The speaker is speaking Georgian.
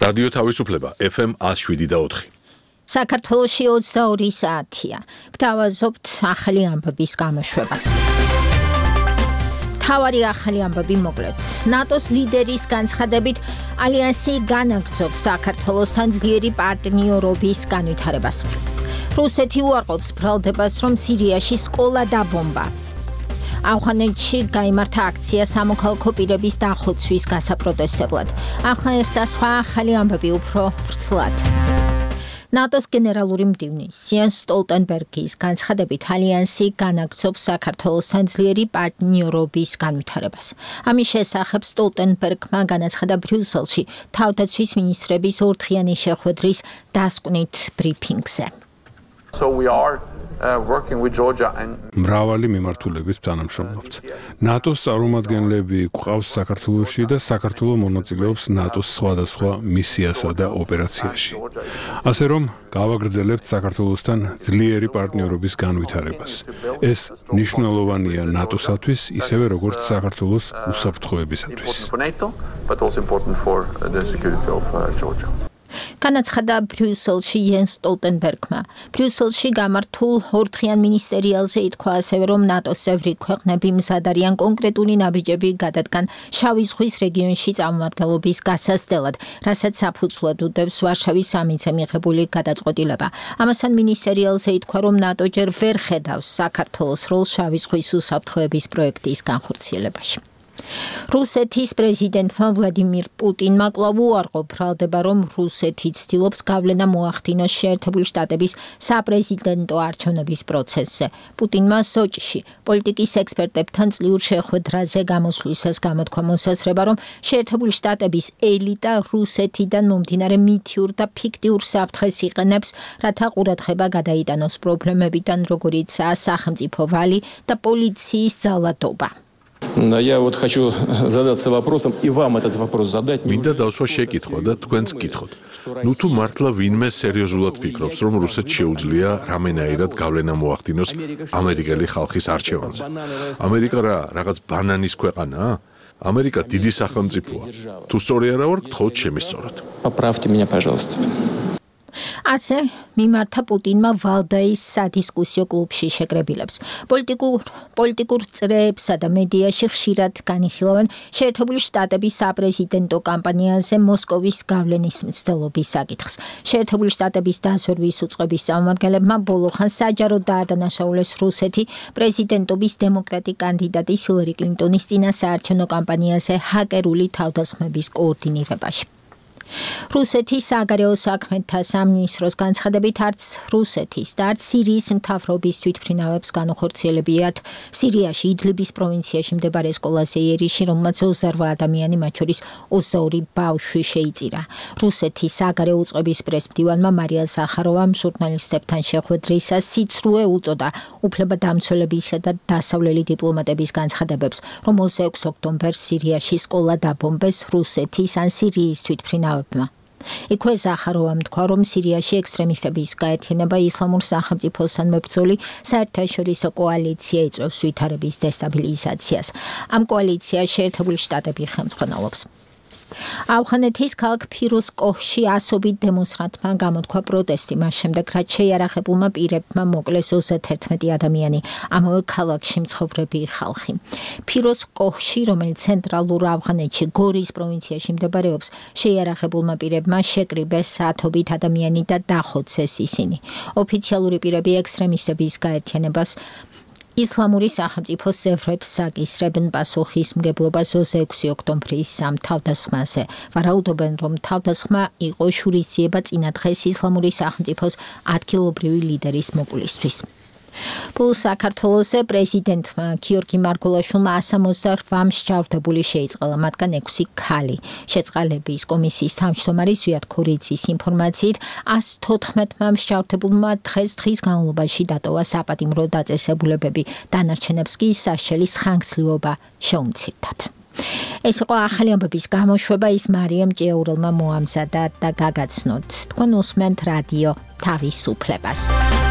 რადიო თავისუფლება FM 107.4. საქართველოში 22 საათია. გთავაზობთ ახალი ამბების გამოშვებას. თავარი ახალი ამბები მოკლედ. ნატოს ლიდერის განცხადებით ალიანსი განაგრძობს საქართველოსთან ძლიერი პარტნიორობის განვითარებას. რუსეთი უარყოფს ბრალდებას, რომ სირიაში სკოლა დაბომბა. ავღანეთში გაიმართა აქცია სამოქალაქო პირების დახოცვის გასაპროტესტებლად. ახლა ეს და სხვა ახალი ამბები უფრო ვრცლად. ნატოს გენერალური მდივნის იენს სტოლტენბერგის განცხადებით ალიანსი განაგრძობს საქართველოსთან ძლიერი პარტნიორობის განვითარებას. ამის შესახებ სტოლტენბერგმა განაცხადა ბრიუსელში თავდაცვის მინისტრების ორდღიანი შეხვედრის დასკვნით ბრიფინგზე. So we are working with Georgia and მრავალი მიმართულებით თანამშრომლობთ. ნატოს წარმომადგენლები გვყავს საქართველოში და საქართველო მონაწილეობს ნატოს სხვადასხვა მისიასა და ოპერაციაში. ასე რომ გავაგრძელებთ საქართველოსთან ძლიერი პარტნიორობის განვითარებას. ეს მნიშვნელოვანია ნატოსათვის, ისევე როგორც საქართველოს უსაფრთხოებისათვის. განაცხადა ბრიუსელში იენს სტოლტენბერგმა. ბრიუსელში გამართულ ორდღიან მინისტერიალზე ითქვა ასევე, რომ ნატოს წევრი ქვეყნები მზად არიან კონკრეტული ნაბიჯები გადადგან შავი ზღვის რეგიონში წარმომადგენლობის გასაზრდელად, რასაც საფუძვლად უდევს ვარშავის სამიტზე მიღებული გადაწყვეტილება. ამასთან მინისტერიალზე ითქვა, რომ ნატო ჯერ ვერ ხედავს საქართველოს როლს შავი ზღვის უსაფრთხოების პროექტის განხორციელებაში. რუსეთის პრეზიდენტმა ვლადიმირ პუტინმა კვლავ უარყო ბრალდება, რომ რუსეთი ცდილობს გავლენა მოახდინოს შეერთებული შტატების საპრეზიდენტო არჩევნების პროცესზე. პუტინმა სოჭში პოლიტიკის ექსპერტებთან წლიურ შეხვედრაზე გამოსვლისას გამოთქვა მოსაზრება, რომ შეერთებული შტატების ელიტა რუსეთიდან მომდინარე მითიურ და ფიქტიურ საფრთხეს იყენებს, რათა ყურადღება გადაიტანოს პრობლემებიდან, როგორიცაა სახელმწიფო ვალი და პოლიციის ძალადობა. Я вот хочу задаться вопросом и вам этот вопрос задать. მინდა დავსვა შეკითხვა და თქვენც გითხოთ. ნუ თუ მართლა ვინმე სერიოზულად ფიქრობს, რომ რუსეთს შეუძლია რამენაირად გავლენა მოახდინოს ამერიკელი ხალხის არჩევანზე. ამერიკა რაღაც ბანანის ქვეყანაა? ამერიკა დიდი სახელმწიფოა. თუ სწორი არა ვარ, გთხოვთ შემისწოროთ. Поправьте меня, пожалуйста. ასე მიმართა პუტინმა ვალდაის სადისკუსიო კლუბში შეკრებილებს. პოლიტიკურ წრეებსა და მედიაში ხშირად განიხილავენ შეერთებული შტატების საპრეზიდენტო კამპანიაზე მოსკოვის გავლენის მცდელობის საკითხს. შეერთებული შტატების დაზვერვის უწყების წარმომადგენლებმა ბოლოხან საჯაროდ დაადანაშაულეს რუსეთი პრეზიდენტობის დემოკრატი კანდიდატის ჰილარი კლინტონის წინასაარჩევნო კამპანიაზე ჰაკერული თავდასხმების კოორდინირებაში. რუსეთის საგარეო საქმეთა სამინისტროს განცხადებით არც რუსეთის და არც სირიის მთავრობის თვითმფრინავებს განუხორციელებიათ სირიაში იდლიბის პროვინციაში მდებარე სკოლაზე იერიში, რომელმაც 28 ადამიანი, მათ შორის 22 ბავშვი შეიწირა. რუსეთის საგარეო უწყების პრესმდივანმა მარია ზახაროვამ ჟურნალისტებთან შეხვედრისას სიცრუე უწოდა უფლებადამცველებისა და დასავლელი დიპლომატების განცხადებებს, რომ 26 ოქტომბერს სირიაში სკოლა დაბომბეს რუსეთის ან სირიის თვითმფრინავებმა. იქვე ზახაროვამ თქვა, რომ სირიაში ექსტრემისტების გაერთიანება ისლამურ სახელმწიფოსთან მებრძოლი საერთაშორისო კოალიცია იწვევს ვითარების დესტაბილიზაციას. ამ კოალიციას შეერთებული შტატები ხელმძღვანელობს. ავღანეთის ქალაქ ფიროზკოჰში ასობით დემონსტრანტმა გამოთქვა პროტესტი, მას შემდეგ რაც შეიარაღებულმა პირებმა მოკლეს 31 ადამიანი, ამავე ქალაქში მცხოვრები ხალხი. ფიროზკოჰში, რომელიც ცენტრალურ ავღანეთში გორის პროვინციაში მდებარეობს, შეიარაღებულმა პირებმა შეკრიბეს საათობით ადამიანი და დახოცეს ისინი. ოფიციალური პირები ექსტრემისტების გაერთიანებას ისლამური სახელმწიფოს წევრებს საკისრებენ პასუხისმგებლობას 26 ოქტომბრის სამ თავდასხმაზე. ვარაუდობენ, რომ თავდასხმა იყო შურისძიება წინა დღეს ისლამური სახელმწიფოს ადგილობრივი ლიდერის მოკლისთვის. საქართველოს პრეზიდენტმა გიორგი მარგველაშვილმა 168 მსჯავრდებული შეიწყალა, მათგან 6 ქალი. შეწყალების კომისიის თავმჯდომარის ზვიად ქორიძის ინფორმაციით 114 მსჯავრდებულმა დღეს განმავლობაში დატოვა საპატიმრო დაწესებულებები, დანარჩენებს კი საშელის ხანგრძლივობა შეუმცირდათ. ეს იყო ახალი ამბების გამოშვება, ის მარიამ ჭიაურელმა მოამზადა და გაგაცნოთ. თქვენ უსმენთ რადიო თავისუფლებას.